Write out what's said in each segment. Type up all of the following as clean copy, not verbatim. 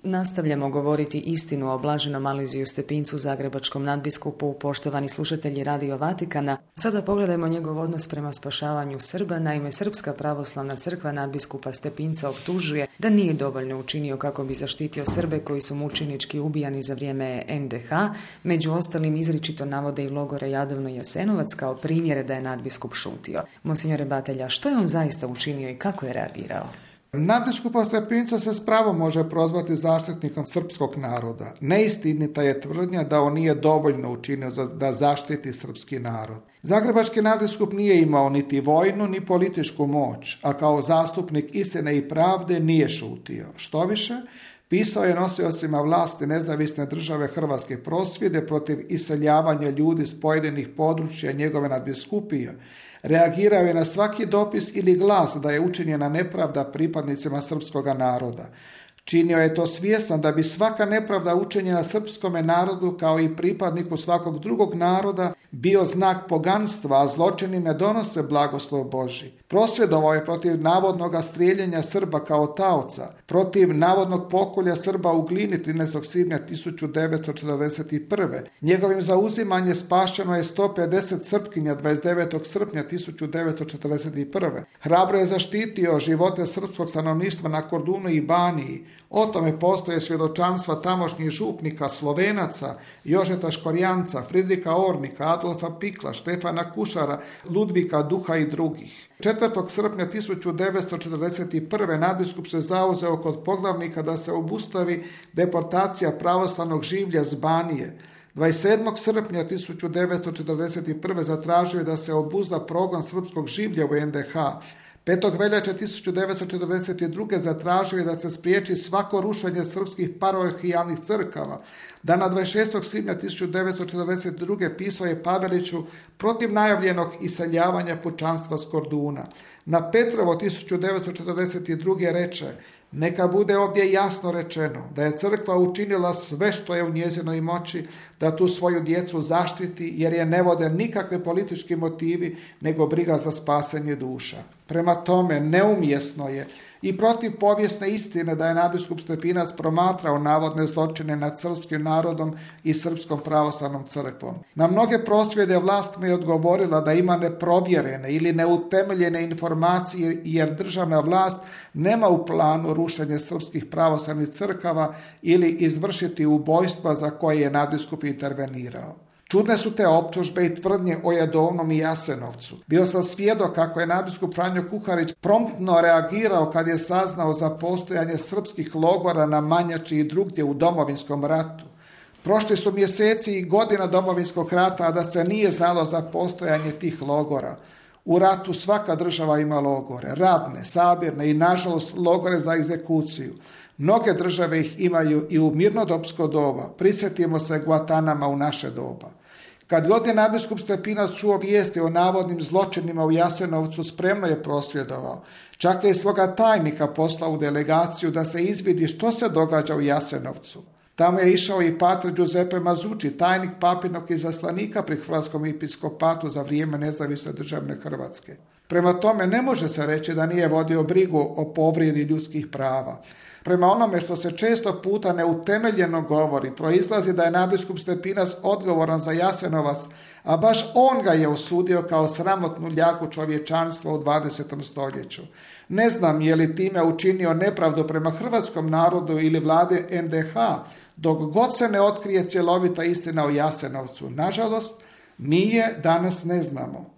Nastavljamo govoriti istinu o blaženom Alojziju Stepincu, zagrebačkom nadbiskupu, poštovani slušatelji Radio Vatikana. Sada pogledajmo njegov odnos prema spašavanju Srba. Naime, Srpska pravoslavna crkva nadbiskupa Stepinca optužuje da nije dovoljno učinio kako bi zaštitio Srbe koji su mučenički ubijani za vrijeme NDH. Među ostalim izričito navode i logore Jadovno i Jasenovac kao primjere da je nadbiskup šutio. Monsignore Batelja, što je on zaista učinio i kako je reagirao? Nadbiskupa Stepinca se s pravom može prozvati zaštitnikom srpskog naroda. Neistinita je tvrdnja da on nije dovoljno učinio da zaštiti srpski narod. Zagrebački nadbiskup nije imao niti vojnu ni političku moć, a kao zastupnik istine i pravde nije šutio. Štoviše, pisao je nosiocima vlasti nezavisne države Hrvatske prosvjede protiv iseljavanja ljudi s pojedinih područja njegove nadbiskupije. Reagirao je na svaki dopis ili glas da je učinjena nepravda pripadnicima srpskoga naroda. Činio je to svjestan da bi svaka nepravda učinjena srpskome narodu kao i pripadniku svakog drugog naroda bio znak poganstva, a zločini ne donose blagoslov Božji. Prosvjedovao je protiv navodnog strijeljenja Srba kao taoca, protiv navodnog pokolja Srba u Glini 13. svibnja 1941. Njegovim zauzimanjem spašeno je 150 Srpkinja 29. srpnja 1941. Hrabro je zaštitio živote srpskog stanovništva na Kordunu i Baniji. O tome postoje svjedočanstva tamošnjih župnika, Slovenaca, Jožeta Škorjanca, Fridrika Ornika, Adolfa Pikla, Štefana Kušara, Ludvika Duha i drugih. 4. srpnja 1941. nadbiskup se zauzeo kod poglavnika da se obustavi deportacija pravoslavnog življa z Banije. 27. srpnja 1941. zatražio je da se obuzda progon srpskog življa u NDH. 5. veljače 1942. zatražio je da se spriječi svako rušenje srpskih parohijalnih crkava. Dana 26. svibnja 1942. pisao je Paveliću protiv najavljenog iseljavanja pučanstva s Korduna. Na Petrovo 1942. reče: neka bude ovdje jasno rečeno da je crkva učinila sve što je u njezinoj moći da tu svoju djecu zaštiti, jer je ne vode nikakve politički motivi nego briga za spasenje duša. Prema tome, neumjesno je i protiv povijesne istine da je nadbiskup Stepinac promatrao navodne zločine nad srpskim narodom i srpskom pravoslavnom crkvom. Na mnoge prosvjede vlast mu je odgovorila da ima neprovjerene ili neutemeljene informacije, jer državna vlast nema u planu rušenje srpskih pravoslavnih crkava ili izvršiti ubojstva za koje je nadbiskup intervenirao. Čudne su te optužbe i tvrdnje o Jadovnom i Jasenovcu. Bio sam svjedok kako je nadbiskup Franjo Kuharić promptno reagirao kad je saznao za postojanje srpskih logora na Manjači i drugdje u Domovinskom ratu. Prošli su mjeseci i godina Domovinskog rata, a da se nije znalo za postojanje tih logora. U ratu svaka država ima logore, radne, sabirne i nažalost logore za egzekuciju. Mnoge države ih imaju i u mirnodopsko doba. Prisjetimo se Guantanama u naše doba. Kad god je nadbiskup Stepinac čuo vijesti o navodnim zločinima u Jasenovcu, spremno je prosvjedovao. Čak je i svoga tajnika poslao u delegaciju da se izvidi što se događa u Jasenovcu. Tamo je išao i pater Giuseppe Mazzucci, tajnik papinog izaslanika pri Hrvatskom episkopatu za vrijeme nezavisne državne Hrvatske. Prema tome ne može se reći da nije vodio brigu o povrijedi ljudskih prava. Prema onome što se često puta neutemeljeno govori, proizlazi da je nadbiskup Stepinac odgovoran za Jasenovac, a baš on ga je osudio kao sramotnu ljagu čovječanstva u 20. stoljeću. Ne znam je li time učinio nepravdu prema hrvatskom narodu ili vlade NDH, dok god se ne otkrije cjelovita istina o Jasenovcu. Nažalost, mi je danas ne znamo.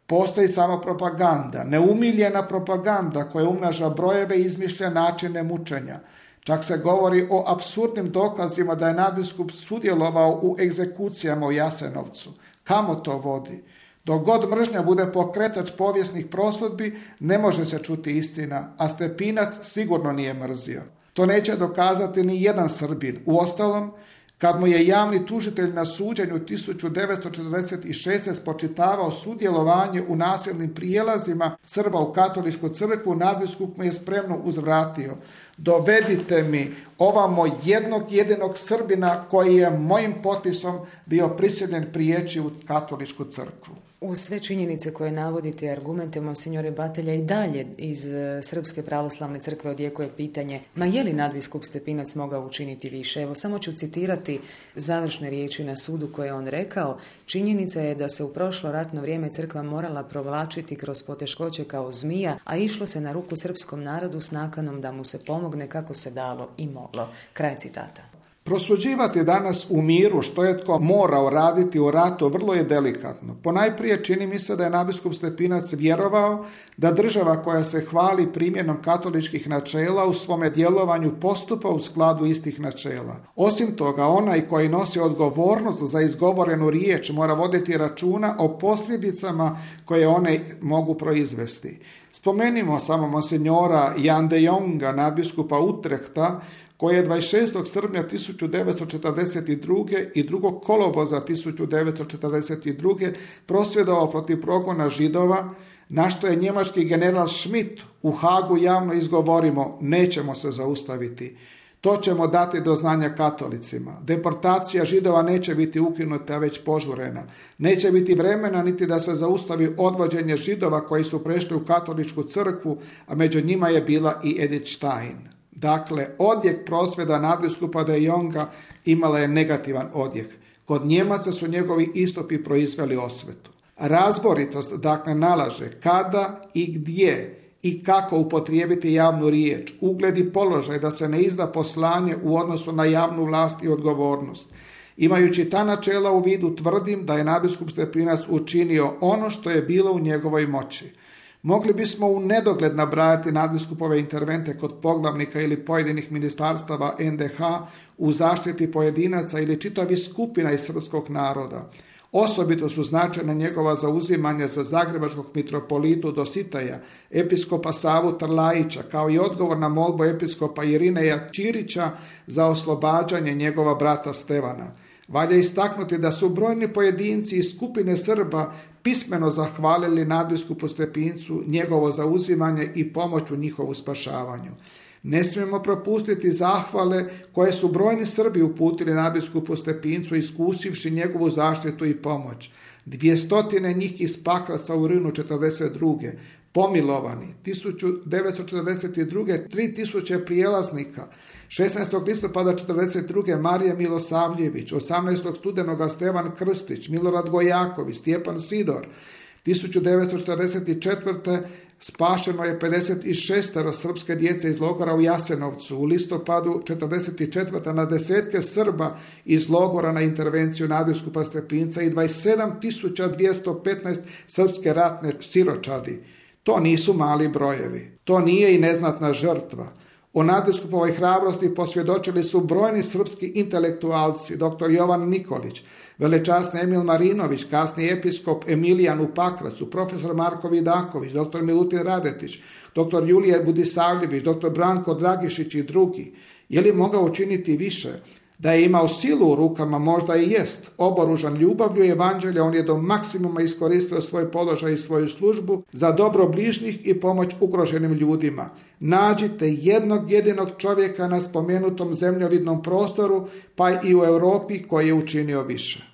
Postoji samo propaganda, neumiljena propaganda koja umnaža brojeve i izmišlja načine mučenja. Čak se govori o apsurdnim dokazima da je nadbiskup sudjelovao u egzekucijama u Jasenovcu. Kamo to vodi? Dok god mržnja bude pokretač povijesnih prosudbi, ne može se čuti istina, a Stepinac sigurno nije mrzio. To neće dokazati ni jedan Srbin. Uostalom, kad mu je javni tužitelj na suđenju 1946. spočitavao sudjelovanje u nasilnim prijelazima Srba u katoličku crkvu, nadbiskup mu je spremno uzvratio: dovedite mi ovamo jednog jedinog Srbina koji je mojim potpisom bio prisiljen prijeći u katoličku crkvu. Uz sve činjenice koje navodite i argumente, monsignore Batelja, i dalje iz Srpske pravoslavne crkve odjekuje pitanje, ma je li nadbiskup Stepinac mogao učiniti više? Evo, samo ću citirati završne riječi na sudu koje je on rekao. Činjenica je da se u prošlo ratno vrijeme crkva morala provlačiti kroz poteškoće kao zmija, a išlo se na ruku srpskom narodu s nakanom da mu se pomogne kako se dalo i moglo. Kraj citata. Prosuđivati danas u miru što je tko morao raditi u ratu vrlo je delikatno. Ponajprije čini mi se da je nadbiskup Stepinac vjerovao da država koja se hvali primjenom katoličkih načela u svome djelovanju postupa u skladu istih načela. Osim toga, onaj koji nosi odgovornost za izgovorenu riječ mora voditi računa o posljedicama koje one mogu proizvesti. Spomenimo samo monsignora Jan de Jonga, nadbiskupa Utrehta, koji je 26. srpnja 1942. i 2. kolovoza 1942. prosvjedovao protiv progona Židova, na što je njemački general Schmidt u Hagu javno izgovorimo: nećemo se zaustaviti. To ćemo dati do znanja katolicima. Deportacija Židova neće biti ukinuta, već požurena. Neće biti vremena niti da se zaustavi odvođenje Židova koji su prešli u katoličku crkvu, a među njima je bila i Edith Stein. Dakle, odjek prosvjeda nadbiskupa de Jonga imala je negativan odjek. Kod Njemaca su njegovi istupi proizveli osvetu. Razboritost, dakle, nalaže kada i gdje i kako upotrijebiti javnu riječ, ugled i položaj da se ne izda poslanje u odnosu na javnu vlast i odgovornost. Imajući ta načela u vidu, tvrdim da je nadbiskup Stepinac učinio ono što je bilo u njegovoj moći. Mogli bismo u nedogled nabrajati nadbiskupove intervente kod poglavnika ili pojedinih ministarstava NDH u zaštiti pojedinaca ili čitavih skupina iz srpskog naroda. Osobito su značajna njegova zauzimanja za zagrebačkog mitropolitu Dositeja, episkopa Savu Trlajića, kao i odgovor na molbu episkopa Irineja Ćirića za oslobađanje njegova brata Stevana. Valja istaknuti da su brojni pojedinci iz skupine Srba pismeno zahvalili nadbiskupu Stepincu njegovo zauzimanje i pomoć u njihovu spašavanju. Ne smijemo propustiti zahvale koje su brojni Srbi uputili nadbiskupu Stepincu iskusivši njegovu zaštitu i pomoć. 200 njih iz Pakraca u rujnu 1942. Pomilovani, 1942. 3000 prijelaznika, 16. listopada 1942. Marija Milosavljević, 18. studenoga Stevan Krstić, Milorad Gojaković, Stjepan Sidor, 1944. spašeno je 56 srpske djece iz logora u Jasenovcu. U listopadu 1944. na desetke Srba iz logora na intervenciju nadbiskupa Stepinca i 27.215 srpske ratne siročadi. To nisu mali brojevi. To nije i neznatna žrtva. O nadbiskupovoj hrabrosti posvjedočili su brojni srpski intelektualci, dr. Jovan Nikolić, velečasni Emil Marinović, kasni episkop Emilijan u Pakracu, profesor Marko Vidaković, dr. Milutin Radetić, dr. Julije Budisavljević, dr. Branko Dragišić i drugi. Je li mogao učiniti više? Da je imao silu u rukama, možda i jest. Oboružan ljubavlju evanđelja, on je do maksimuma iskoristio svoj položaj i svoju službu za dobro bližnjih i pomoć ugroženim ljudima. Nađite jednog jedinog čovjeka na spomenutom zemljovidnom prostoru, pa i u Europi, koji je učinio više.